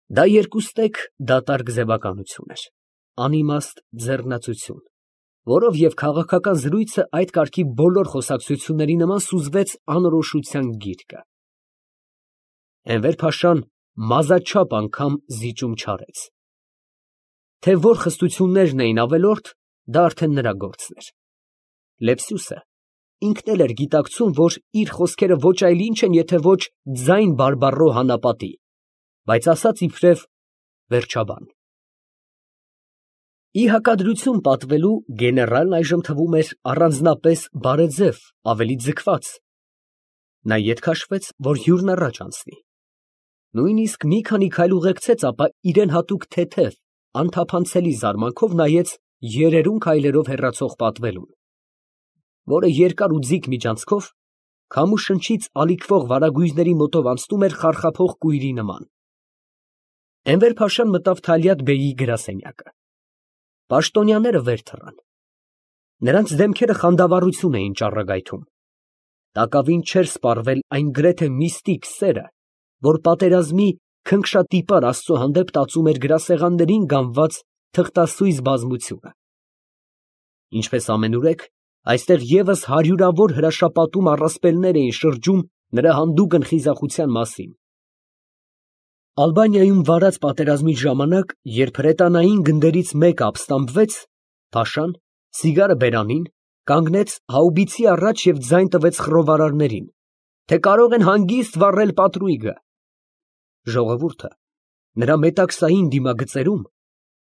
Դա երկուստեք դատարկ ձևականություն էր, անիմաստ ձեռնացություն, որով և քաղաքական զրույցը այդ կարգի բոլոր խոսակցությունների նման սուզվեց անորոշության գիրկը։ Էնվեր֊փաշան մազաչափ անգամ զիջում չարեց. թե որ խստություններն էին ավելորդ, դա արդեն նրա գործն էր։ Լեպսյուսը ինքն էլ էր գիտակցում, որ իր խոսքերը ոչ այլ ինչ են, եթե ոչ ձայն բարբառո հանապատի, բայց ասաց իբրև վերջաբան։ Ի հակադրություն պատվելու գեներալն այժմ թվում էր առանձնապես բարեձև, ավելի ձգված. նա ետ քաշվեց, որ հյուրն առաջ անցնի, նույնիսկ մի քանի քայլ ուղեկցեց, ապա իրան հատուկ թեթև, անթափանցելի զարմանքով նայեց երերուն քայլերով հեռացող պատվելուն, որը երկար ու ձիգ միջանցքով քամու շնչից ալիքվող վարագույրների մոտով անցնում էր խարխափող կույրի նման։ Էնվեր֊փաշան մտավ Թալյատ֊բեյի գրասենյակը։ Պաշտոնյաները վեր թռան։ Նրանց դեմքերը խանդավառություն էին ճառագայթում։ Տակավին չէր սպառվել այն գրեթե միստիկ սերը, որ պատերազմի քնքշատիպար Աստծո հանդեպ տածում էր գրասեղաններին գանված թղթասույզ բազմությունը։ Ինչպես ամենուրեք, այստեղ ևս հարյուրավոր հրաշապատում առասպելներ էին շրջում նրա հանդուգն խիզախության մասին։ Ալբանիայում վարած պատերազմի ժամանակ, երբ հրետանային գնդերից մեկը ապստամբվեց, փաշան, սիգարը բերանին, կանգնեց հաուբիցի առաջ և ձայն տվեց խռովարարներին, թե կարող են հանգիստ վառել պատրույգը։ Ժողովուրդը նրա մետաքսային դիմագծերում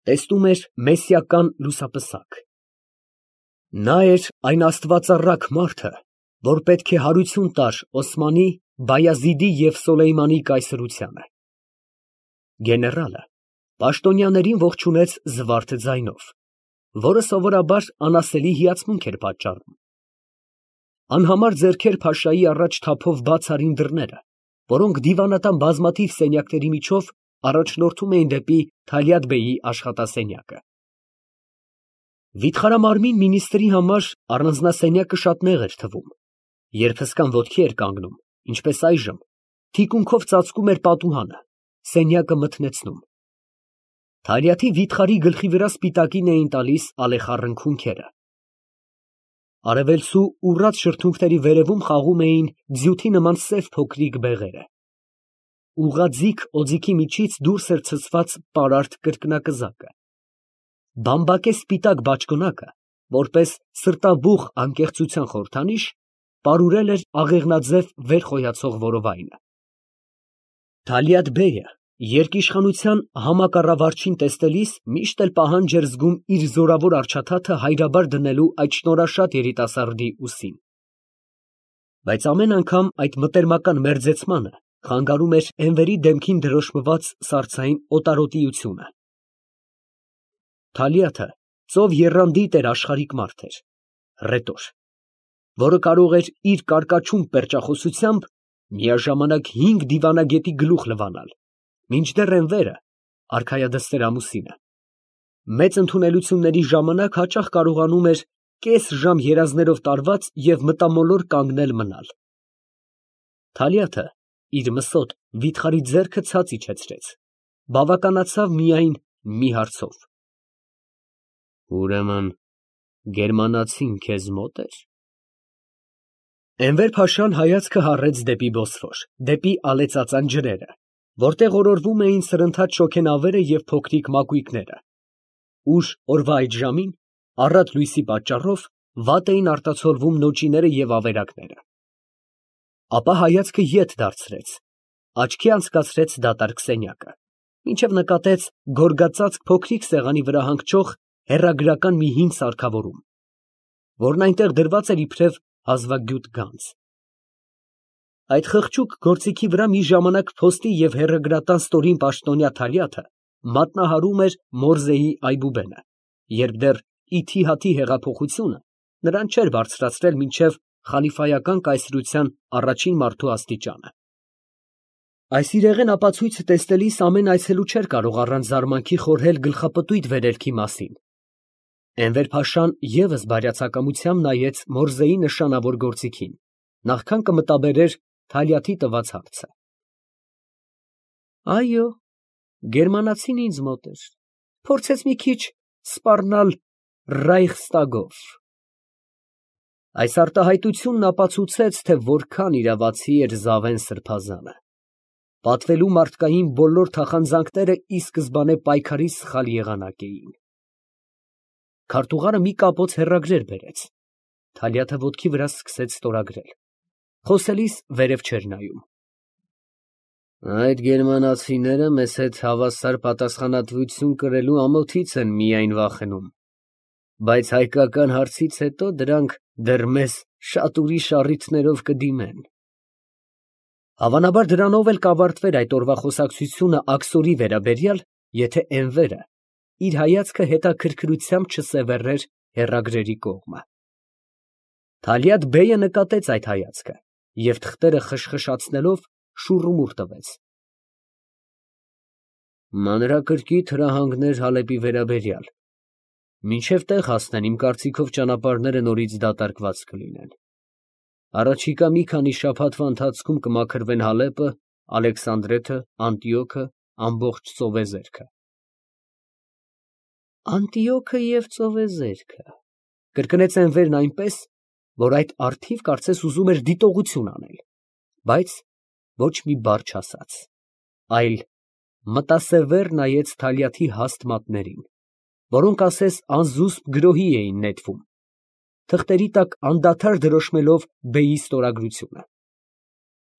տեսնում էր մեսիական լուսապսակ։ Նա էր այն աստվածառակ մարդը, որ պետք է հարություն տար Օսմանի, Բայազիդի և Սոլեյմանի կայսրությանը։ Գեներալը պաշտոնյաներին ողջունեց զվարթ ձայնով, որը սովորաբար անասելի հիացմունք էր պատճառում։ Անհամար ձեռքեր փաշայի առաջ թափով բաց արին դռները, որոնք դիվանատան բազմաթիվ սենյակների միջով առաջնորդում էին դեպի Թալյատ֊բեյի աշխատասենյակը։ Վիթխարամարմին մինիստրի համար առանձնասենյակը շատ նեղ էր թվում, երբ հսկան ոտքի էր կանգնում, ինչպես այժմ, թիկունքով ծածկում էր պատուհանը, սենյակը մթնեցնում։ Թալյաթի վիթխարի գլխի վրա սպիտակին էին տալիս ալեխառն քունքերը։ Արևելցու ուռած շրթունքների վերևում խաղում էին ձյութի նման սև փոքրիկ բեղերը։ Ուղղաձիգ օձիքի միջից դուրս էր ցցված պարարտ կրկնակզակը։ Բամբակե սպիտակ բաճկոնակը, որպես սրտաբուխ անկեղծության խորհրդանիշ, պարուրել էր աղեղնաձև վեր խոյացող որովայնը։ Թալյատ֊բեյը երկիշխանության համակառավարչին տեսնելիս միշտ էլ պահանջ էր զգում իր զորավոր առաջաթաթը հայրաբար դնելու այդ շնորհաշատ երիտասարդի ուսին։ Բայց ամեն անգամ այդ մտերմական մերձեցմանը խանգարում էր Էնվերի դեմքին դրոշմված սառցային օտարոտիությունը։ Թալյաթը ծով եռանդի տերաշխարհիկ մարդ էր, հռետոր, որը կարող էր իր կարկաչուն պերճախոսությամբ միաժամանակ 5 դիվանագետի գլուխ լվանալ, մինչդեռ Էնվերը, արքայադստեր ամուսինը, մեծ ընդունելությունների ժամանակ հաճախ կարողանում էր կես ժամ երազներով տարված և մտամոլոր կանգնել մնալ։ Թալյաթը իր մսոտ վիթխարի ձեռքը ցած իջեցրեց, բավականացավ միայն մի հարցով. Ուրեմն գերմանացին քեզ մոտ էր։ Էնվեր֊փաշան հայացքը հառեց դեպի Բոսֆոր, դեպի ալեցածան ջրերը, որտեղ օրորվում էին սրընթաց շոգենավերը և փոքրիկ մակույկները, ուր օրվա այդ ժամին, առատ լույսի պատճառով, վատ էին արտացոլվում նոճիները և ավերակները։ Ապա հայացքը ետ դարձրեց, աչքի անցկացրեց դատարկ սենյակը, մինչև նկատեց գորգածածկ փոքրիկ սեղանի վրա հանգչող հեռագրական մի հին սարքավորում, որն այնտեղ դրված էր իբրև հազվագյուտ գանձ։ Այդ խղճուկ գործիքի վրա մի ժամանակ փոստի և հեռագրատան ստորին պաշտոնյա Թալյաթը մատնահարում էր Մորզեի այբուբենը, երբ դեռ Իթիհադի հեղափոխությունը նրան չէր բարձրացրել մինչև խալիֆայական կայսրության առաջին մարդու աստիճանը։ Այս իրեղեն ապացույցը տեսնելիս ամեն այցելու չէր կարող առանց զարմանքի խորհել գլխապտույտ վերելքի մասին։ Էնվեր֊փաշան ևս բարյացակամությամբ նայեց Մորզեի նշանավոր գործիքին, նախքան կմտաբերեր Թալյաթի տված հարցը։ Այո, Գերմանացին ինձ մոտ էր, փորձեց մի քիչ սպառնալ Ռայխստագով։ Այս արտահայտությունն ապացուցեց, թե որքան իրավացի էր Զավեն սրբազանը։ Պատվելու մարդկային բոլոր թախանձանքները ի սկզբանե պայքարի սխալ եղանակ էին։ Քարտուղարը մի կապոց հեռագրեր բերեց։ Թալյաթը ոտքի վրա սկսեց ստորագրել։ Խոսելիս վերև չէր նայում։ Այդ գերմանացիները մեզ հետ հավասար պատասխանատվություն կրելու ամոթից են միայն վախենում, բայց հայկական հարցից հետո դրանք դեռ մեզ շատ ուրիշ առիթներով կդիմեն։ Հավանաբար դրանով էլ կավարտվեր այդ օրվա խոսակցությունը աքսորի վերաբերյալ, եթե Էնվերը իր հայացքը հետաքրքրությամբ չսևեռեր հեռագրերի կողմը։ Թալյաթ բեյը նկատեց այդ հայացքը և թղթերը խշխշացնելով շուռումուռ տվեց։ Մանրակրկիտ հրահանգներ Հալեպի վերաբերյալ։ Մինչև տեղ հասնեն, իմ կարծիքով ճանապարհները նորից դատարկված կլինեն։ Առաջիկա մի քանի շաբաթվա ընթացքում կմաքրվեն Հալեպը, Ալեքսանդրեթը, Անտիոքը, ամբողջ ծովեզերքը։ Անտիոքը և ծովեզերքը, կրկնեց Էնվերն այնպես, որ այդ առթիվ կարծես ուզում էր դիտողություն անել, բայց ոչ մի բառ չասաց, այլ մտասևեռ նայեց Թալյաթի հաստ մատներին, որոնք ասես անզուսպ գրոհի էին նետվում, թղթերի տակ անդադար դրոշմելով բեյի ստորագրությունը։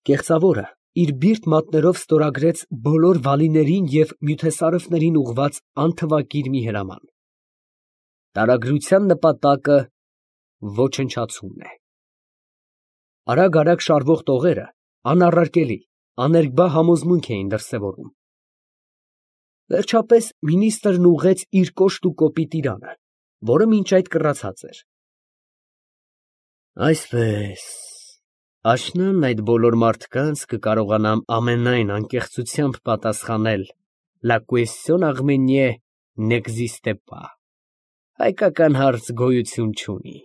Կեղծավորը իր բիրտ մատներով ստորագրեց բոլոր վալիներին և մյութեսարëվներին ուղղված անթվակիր մի հրաման։ Տարագրության նպատակը ոչնչացումն է։ Արագ շարվող տողերը անառարկելի, աներկբա համոզմունք էին դրսևորում։ Վերջապես մինիստրն ուղղեց իր կոշտ ու կոպիտ իրանը, որը մինչ այդ կռացած էր։ Այսպես, աշնան այդ բոլոր մարդկանց կկարողանամ ամենայն անկեղծությամբ պատասխանել «La question arménienne n'existe pas» հայկական հարց գոյություն չունի։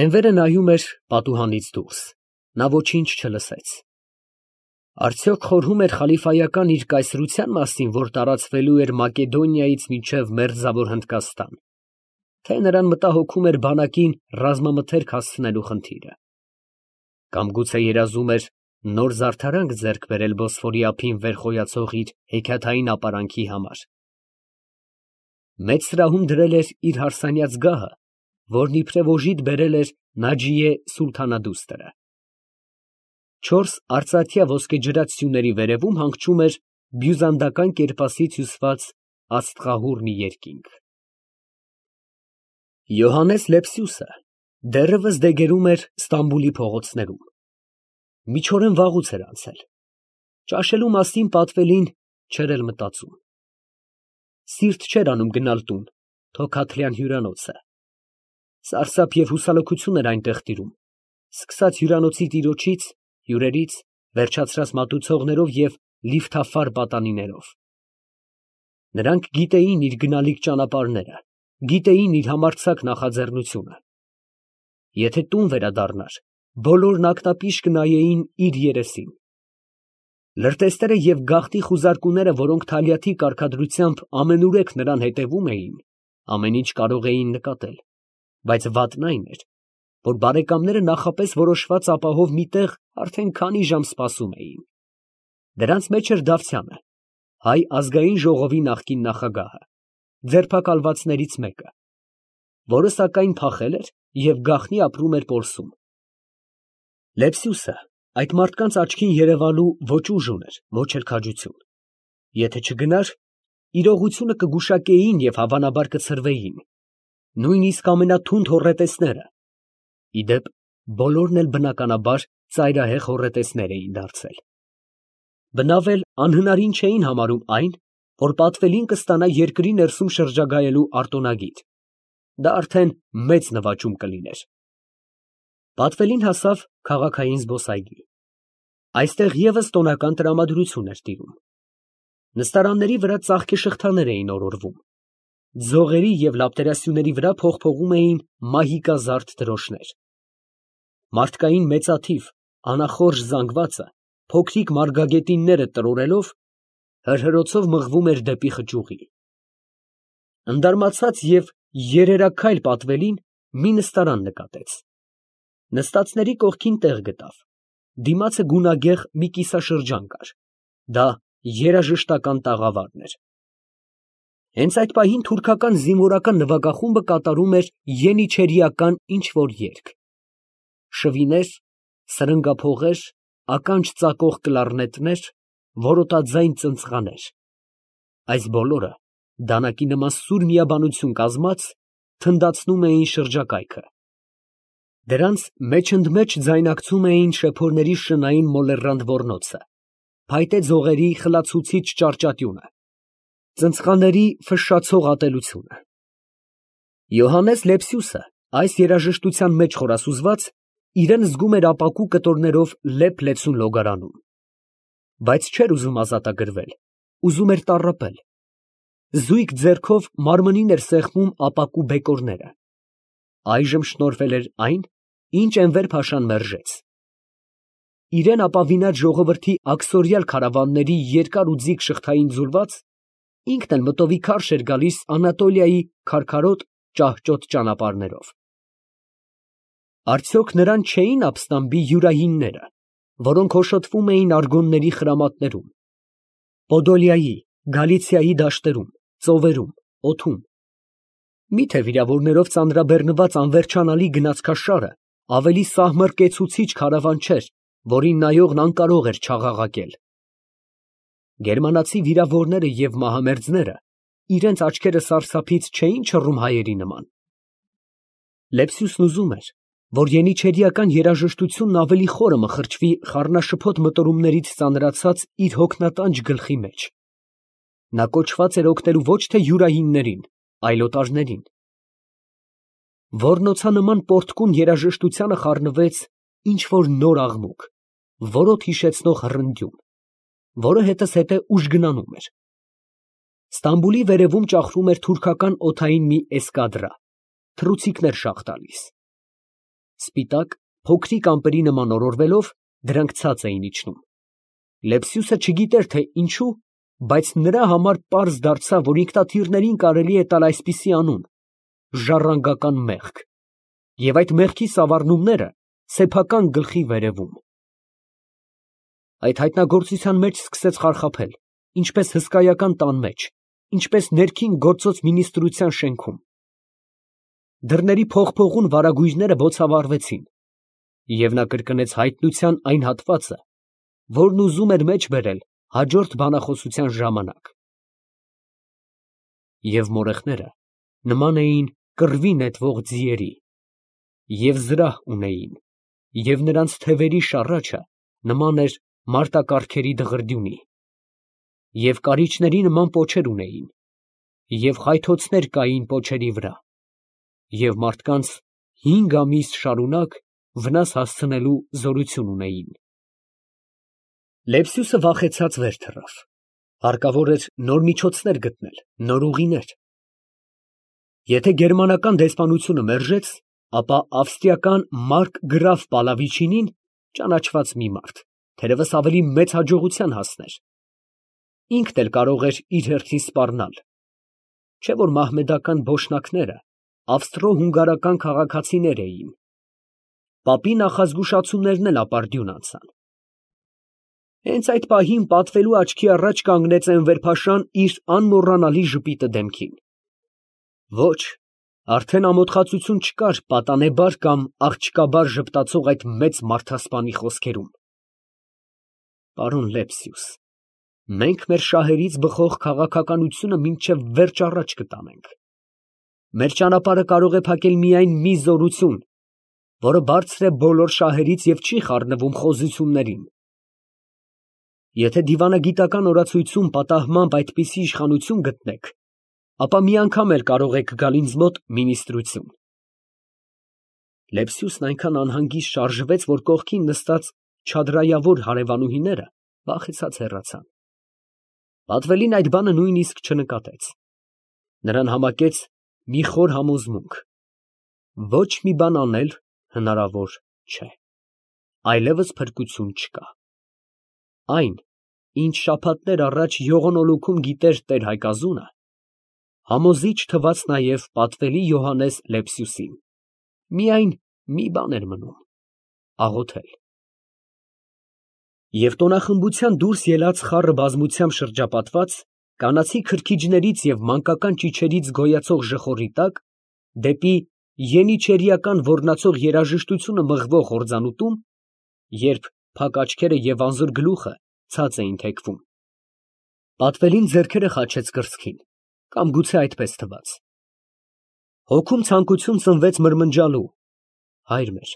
Էնվերը նայում էր պատուհանից դուրս, նա ոչինչ չլսեց։ Արդյոք խորհում էր խալիֆայական իր կայսրության մասին, որ տարածվելու էր Մակեդոնիայից մինչև Մերձավոր Հնդկաստան, թե նրան մտահոգում էր բանակին ռազմամթերք հասցնելու խնդիրը, կամ գուցե երազում էր նոր զարդարանք ձեռք բերել Բոսֆորի ափին վեր խոյացող իր հեքիաթային ապարանքի համար։ Մեծ սրահում դրել էր իր հարսանյաց գահը, որն իբրև օժիտ բերել էր Նաջիե Սուլթանադուստրը։ 4 արծաթյա ոսկեջրած սյուների վերևում հանգչում էր բյուզանդական կերպասից հյուսված աստղահուռ մի երկինք։ Յոհաննես Լեպսիուսը դեռևս դեգերում էր Ստամբուլի փողոցներում։ Միջօրեն վաղուց էր անցել։ Ճաշելու մասին պատվելին չէր էլ մտածում։ Սիրտ չէր անում գնալ տուն, Թոքաթլյան հյուրանոցը։ Սարսափ և հուսալքություն էր այնտեղ տիրում, սկսած հյուրանոցի տիրոջից, հյուրերից, վերջացրած մատուցողներով և լիֆթաֆար պատանիներով։ Նրանք գիտեին իր գնալիք ճանապարհները, գիտեին իր համարձակ նախաձեռնությունը։ Եթե տուն վերադառնար, բոլորն ակնապիշ կնայեին իր երեսին։ Լրտեսները և գաղտնի խուզարկուները, որոնք Թալյաթի կարգադրությամբ ամենուրեք նրան հետևում էին, ամեն ինչ կարող էին նկատել, բայց վատն այն էր, որ բարեկամները նախապես որոշված ապահով մի տեղ արդեն քանի ժամ սպասում էին։ Դրանց մեջ էր Դավթյանը, Հայ ազգային ժողովի նախկին նախագահը, ձերբակալվածներից մեկը, որը սակայն փախել էր և գաղտնի ապրում էր Պոլսում։ Լեպսիուսը այդ մարդկանց աչքին երևալու ոչ ուժ ուներ, ոչ էլ քաջություն։ Եթե չգնար, իրողությունը կգուշակեին և հավանաբար կցրվեին, նույնիսկ ամենաթունդ հոռետեսները։ Ի դեպ, բոլորն էլ բնականաբար ծայրահեղ հոռետեսներ էին դարձել։ Բնավ էլ անհնարին չէին համարում այն, որ պատվելին կստանա երկրի ներսում շրջագայելու արտոնագիր։ Դա արդեն մեծ նվաճում կլիներ։ Պատվելին հասավ քաղաքային զբոսայգի։ Այստեղ ևս տոնական տրամադրություն էր տիրում։ Նստարանների վրա ծաղկեշղթաներ էին օրորվում։ Ձողերի և լապտերասյուների վրա փողփողում էին մահիկազարդ դրոշներ։ Մարդկային մեծաթիվ, անախորժ զանգվածը, փոքրիկ մարգագետինները տրորելով, հրհրոցով մղվում էր դեպի խճուղի։ Ընդարմացած և երերաքայլ պատվելին մի նստարան նկատեց։ Նստածների կողքին տեղ գտավ, դիմացը գունագեղ մի կիսաշրջան կար, դա երաժշտական տաղավարն էր։ Հենց այդ պահին թուրքական զինվորական նվագախումբը կատարում էր ենիչերիական ինչ֊որ երգ։ Շվիներ, սրնգափողեր, ականջ ծակող կլարնետներ, որոտաձայն ծնծղաներ, այս բոլորը դանակի նման սուր միաբանություն կազմած, թնդացնում էին շրջակայքը։ Դրանց մեջընդմեջ ձայնակցում էին շեփորների շնային մոլեռանդ ոռնոցը, փայտե ձողերի խլացուցիչ ճարճատյունը, ծնծղաների ֆշշացող ատելությունը։ Յոհաննես Լեպսիուսը, այս երաժշտության մեջ խորասուզված, իրան զգում էր ապակու կտորներով լեփ֊լեցուն լոգարանում, բայց չէր ուզում ազատագրվել, ուզում էր տառապել։ Զույգ ձեռքով մարմնին էր սեղմում ապակու բեկորները։ Այժմ շնորհվել էր այն, ինչ Էնվեր փաշան մերժեց։ Իրան ապավինած ժողովրդի աքսորյալ քարավանների երկար ու ձիգ շղթային ձուլված, ինքն էլ մտովի քարշ էր գալիս Անատոլիայի քարքարոտ, ճահճոտ ճանապարհներով։ Արդյոք նրան չէին ապստամբի յուրայինները, որոնք հոշոտվում էին արգոնների խրամատներում, Պոդոլիայի, Գալիցիայի դաշտերում, ծովերում, օդում։ Միթե վիրավորներով ծանրաբեռնված անվերջանալի գնացքաշարը ավելի սահմռկեցուցիչ քարավան չէր, որին նայողն անկարող էր չաղաղակել։ Գերմանացի վիրավորները և մահամերձները իրենց աչքերը սարսափից չէին չռում հայերի նման։ Լեպսիուսն ուզում էր, որ ենիչերիական երաժշտությունն ավելի խորը մխրճվի խառնաշփոթ մտորումներից ծանրացած իր հոգնատանջ գլխի մեջ։ Նա կոչված էր օգնելու ոչ թե յուրայիններին, այլ օտարներին։ Ոռնոցանման պոռթկուն երաժշտությանը խառնվեց ինչ֊որ նոր աղմուկ, որոտ հիշեցնող հռնդյուն, որը հետզհետե ուժգնանում էր։ Ստամբուլի վերևում ճախրում էր թուրքական օդային մի էսկադրա, թռուցիկներ շաղ տալիս։ Սպիտակ, փոքրիկ ամպերի նման օրորվելով, դրանք ցած էին իջնում։ Լեպսիուսը չգիտեր, թե ինչու, բայց նրա համար պարզ դարձավ, որ ինքնաթիռներին կարելի է տալ այսպիսի անուն՝ ժառանգական մեղք, և այդ մեղքի սավառնումները սեփական գլխի վերևում։ Այդ հայտնագործության մեջ սկսեց խարխափել, ինչպես հսկայական տան մեջ, ինչպես ներքին գործոց մինիստրության շենքում։ Դռների փողփողուն վարագույրները բոցավառվեցին, և նա կրկնեց հայտնության այն հատվածը, որն ուզում էր մեջ բերել հաջորդ բանախոսության ժամանակ։ Եվ մորեխները նման էին կռվի նետվող ձիերի, և զրահ ունեին, և նրանց թևերի շառաչը նման էր մարտակառքերի դղրդյունի, և կարիճների նման պոչեր ունեին, և խայթոցներ կային պոչերի վրա, և մարդկանց 5 ամիս շարունակ վնաս հասցնելու զորություն ունեին։ Լեպսիուսը վախեցած վեր թռավ. հարկավոր էր նոր միջոցներ գտնել, նոր ուղիներ։ Եթե գերմանական դեսպանությունը մերժեց, ապա ավստրիական մարկգրաֆ Պալավիչինին, ճանաչված մի մարդ, թերևս ավելի մեծ հաջողության հասներ։ Ինքն էլ կարող էր իր հերթին սպառնալ, չէ՞ որ մահմեդական բոշնակները ավստրո֊հունգարական քաղաքացիներ էին։ Պապի նախազգուշացումներն էլ ապարդյուն անցան։ Հենց այդ պահին պատվելու աչքի առաջ կանգնեց Էնվեր փաշան իր անմոռանալի ժպիտը դեմքին։ Ոչ, արդեն ամոթխածություն չկար պատանեբար կամ աղջկաբար ժպտացող այդ մեծ մարդասպանի խոսքերում։ Պարոն Լեպսիուս, մենք մեր շահերից բխող քաղաքականությունը մինչև վերջ առաջ կտանենք։ Մեր ճանապարհը կարող է փակել միայն մի զորություն, որը բարձր է բոլոր շահերից և չի խառնվում խոզություններին։ Եթե դիվանագիտական օրացույցում պատահմամբ այդպիսի իշխանություն գտնեք, ապա մի անգամ էլ կարող եք գալ ինձ մոտ մինիստրություն։ Լեպսիուսն այնքան անհանգիստ շարժվեց, որ կողքին նստած չադրայավոր հարևանուհիները վախեցած հեռացան։ Պատվելին այդ բանը նույնիսկ չնկատեց. նրան համակեց մի խոր համոզմունք. ոչ մի բան անել հնարավոր չէ, այլևս փրկություն չկա։ Այն, ինչ շաբաթներ առաջ յողոնոլուքում գիտեր տեր Հայկազունը, համոզիչ թվաց նաև պատվելի Յոհաննես Լեպսիուսին. միայն մի բան էր մնում, աղոթել։ Եվ տոնախմբության դուրս ելած խառը բազմությամբ շրջապատված, կանացի քրքիջներից և մանկական ճիչերից գոյացող ժխորի տակ, դեպի ենիչերիական ոռնացող երաժշտությունը մղվող հորձանուտում, երբ փակ աչքերը և անզոր գլուխը ցած էին թեքվում, պատվելին ձեռքերը խաչեց կրծքին, կամ գուցե այդպես թվաց, հոգում ցանկություն ծնվեց մրմնջալու. հայր մեր,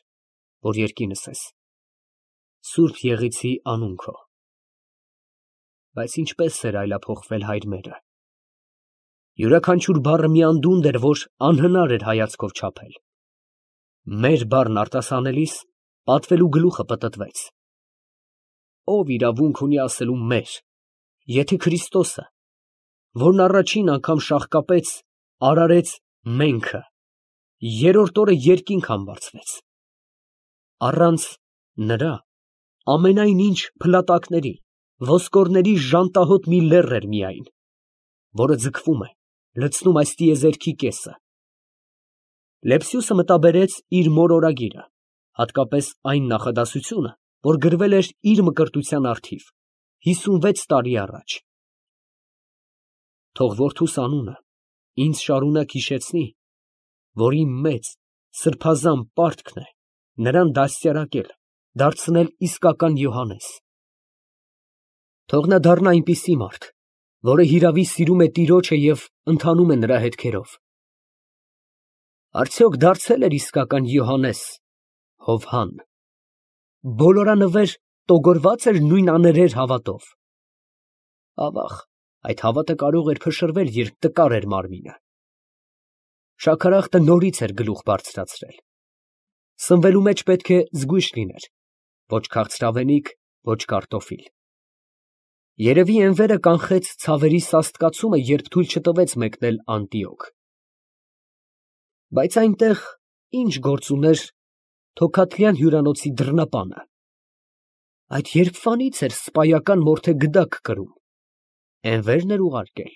որ երկինս ես, սուրբ եղիցի անուն քո։ Բայց ինչպես էր այլափոխվել հայր մերը. յուրաքանչյուր բառը մի անդունդ էր, որ անհնար էր հայացքով չափել։ Մեր բառն արտասանելիս պատվելու գլուխը պտտվեց. ով իրավունք ունի ասելու մեր, եթե Քրիստոսը, որն առաջին անգամ շաղկապեց, արարեց menքը, երրորդ օրը երկինք համբարձվեց։ Առանց նրա ամենայն ինչ փլատակների, ոսկորների ժանտահոտ մի լեռ էր միայն, որը ձգվում է, լցնում այս տիեզերքի կեսը։ Լեպսիուսը մտաբերեց իր մոր օրագիրը, հատկապես այն նախադասությունը, որ գրվել էր իր մկրտության առթիվ 56 տարի առաջ. թող որդուս անունը ինձ շարունակ հիշեցնի, որ իմ մեծ սրբազան պարտքն է նրան դաստիարակել, դարձնել իսկական Յոհաննես։ Թող նա դառնա այնպիսի մարդ, որը հիրավի սիրում է Տիրոջը և ընթանում է նրա հետքերով։ Արդյոք դարձել էր իսկական Յոհաննես Հովհան, բոլորանվեր տոգորված էր նույն աներեր հավատով։ Ավաղ, այդ հավատը կարող էր փշրվել, երբ տկար էր մարմինը։ Շաքարախտը նորից էր գլուխ բարձրացրել։ Սնվելու մեջ պետք է զգույշ լիներ, ոչ քաղցրավենիք, ոչ կարտոֆիլ։ Երևի Էնվերը կանխեց ցավերի սաստկացումը, երբ թույլ չտվեց մեկնել Անտիոք։ Բայց այնտեղ ինչ գործ ուներ Թոքաթլյան հյուրանոցի դռնապանը։ Այդ երբվանից էր սպայական մորթե գդակ կրում։ Էնվերն էր ուղարկել։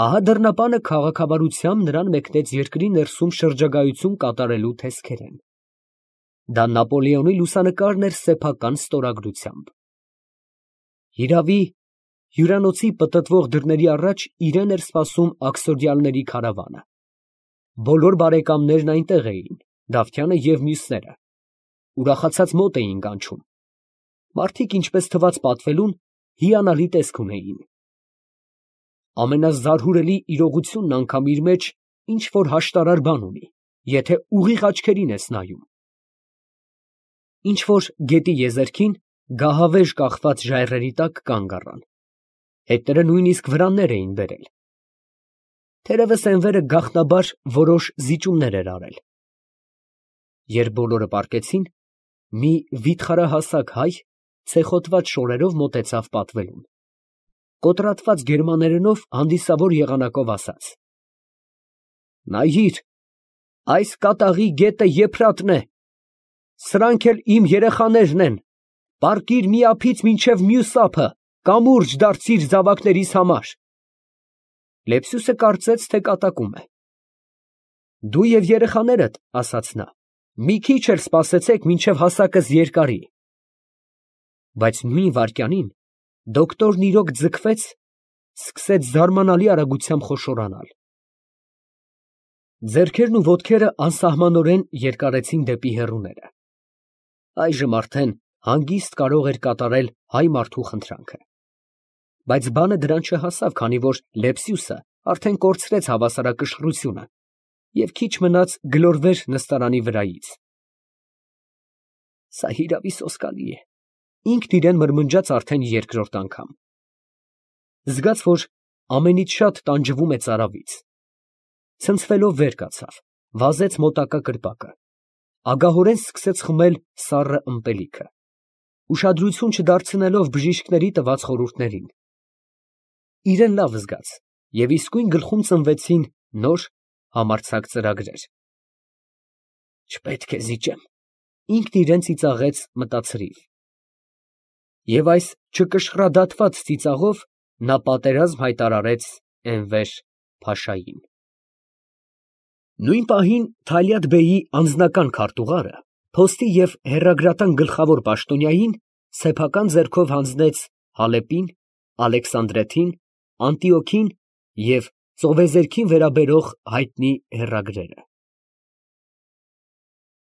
Ահա դռնապանը քաղաքավարությամբ նրան մեկնեց երկրի ներսում շրջագայություն կատարելու տեսքերեն։ Դա Նապոլեոնի լուսանկարն էր սեփական ստորագրությամբ։ Հիրավի, հյուրանոցի պտտվող դռների առաջ իրեն էր սպասում աքսորյալների քարավանը։ Բոլոր բարեկամներն այնտեղ էին, Դավթյանը և մյուսները, ուրախացած մոտ էին կանչում։ Մարդիկ, ինչպես թվաց պատվելուն, հիանալի տեսք ունեին։ Ամենազարհուրելի իրողությունն անգամ իր մեջ ինչ որ հաշտարար բան ունի, եթե ուղիղ աչքերին ես նայում։ Ինչ որ գետի եզերքին գահավեժ կախված ժայռերի տակ կանգ առան։ Հետները նույնիսկ վրաններ էին բերել։ Թերևս Էնվերը գաղտնաբար որոշ զիջումներ էր արել։ Երբ բոլորը պառկեցին, մի վիթխարահասակ հայ ցեխոտված շորերով մոտեցավ պատվելուն։ Կոտրատված գերմաներենով հանդիսավոր եղանակով ասաց. «Նայիր, այս կատաղի գետը Եփրատն է, սրանք էլ իմ երեխաներն են, պառկիր մի ափից մինչև մյուս ափը, կամուրջ դարձիր զավակներիս համար»։ Լեպսիուսը կարծեց, թե կատակում է։ «Դու և երեխաներդ, ֊ ասաց նա, ֊ մի քիչ էլ սպասեցեք, մինչև հասակս երկարի»։ Բայց նույն վայրկյանին դոկտորն իրոք ձգվեց, սկսեց զարմանալի արագությամբ խոշորանալ։ Ձեռքերն ու ոտքերը անսահմանորեն երկարեցին դեպի հեռուները։ Այժմ արդեն հանգիստ կարող էր կատարել հայ մարդու խնդրանքը։ Բայց բանը դրան չհասավ, քանի որ Լեպսիուսը արդեն կորցրեց հավասարակշռությունը և քիչ մնաց գլորվեր նստարանի վրայից։ Սա հիրավի սոսկալի է, ինքն իրան մրմնջաց արդեն երկրորդ անգամ։ Զգաց, որ ամենից շատ տանջվում է ծարավից։ Ցնցվելով վեր կացավ, վազեց մոտակա կրպակը, ագահորեն սկսեց խմել սառը ըմպելիքը, ուշադրություն չդարձնելով բժիշկների տված խորհուրդներին։ Իրեն լավ զգաց, և իսկույն գլխում ծնվեցին նոր համարձակ ծրագրեր։ Չպետք է զիջեմ, ինքն իրան ծիծաղեց մտածրիվ։ Եվ այս չկշռադատված ծիծաղով նա պատերազմ հայտարարեց Էնվեր փաշային։ Նույն պահին Թալյաթ֊բեյի անձնական քարտուղարը փոստի և հեռագրատան գլխավոր պաշտոնյային սեփական ձեռքով հանձնեց Հալեպին, Ալեքսանդրեթին, Անտիոքին և Ծովեզերքին վերաբերող հայտնի հեռագրերը։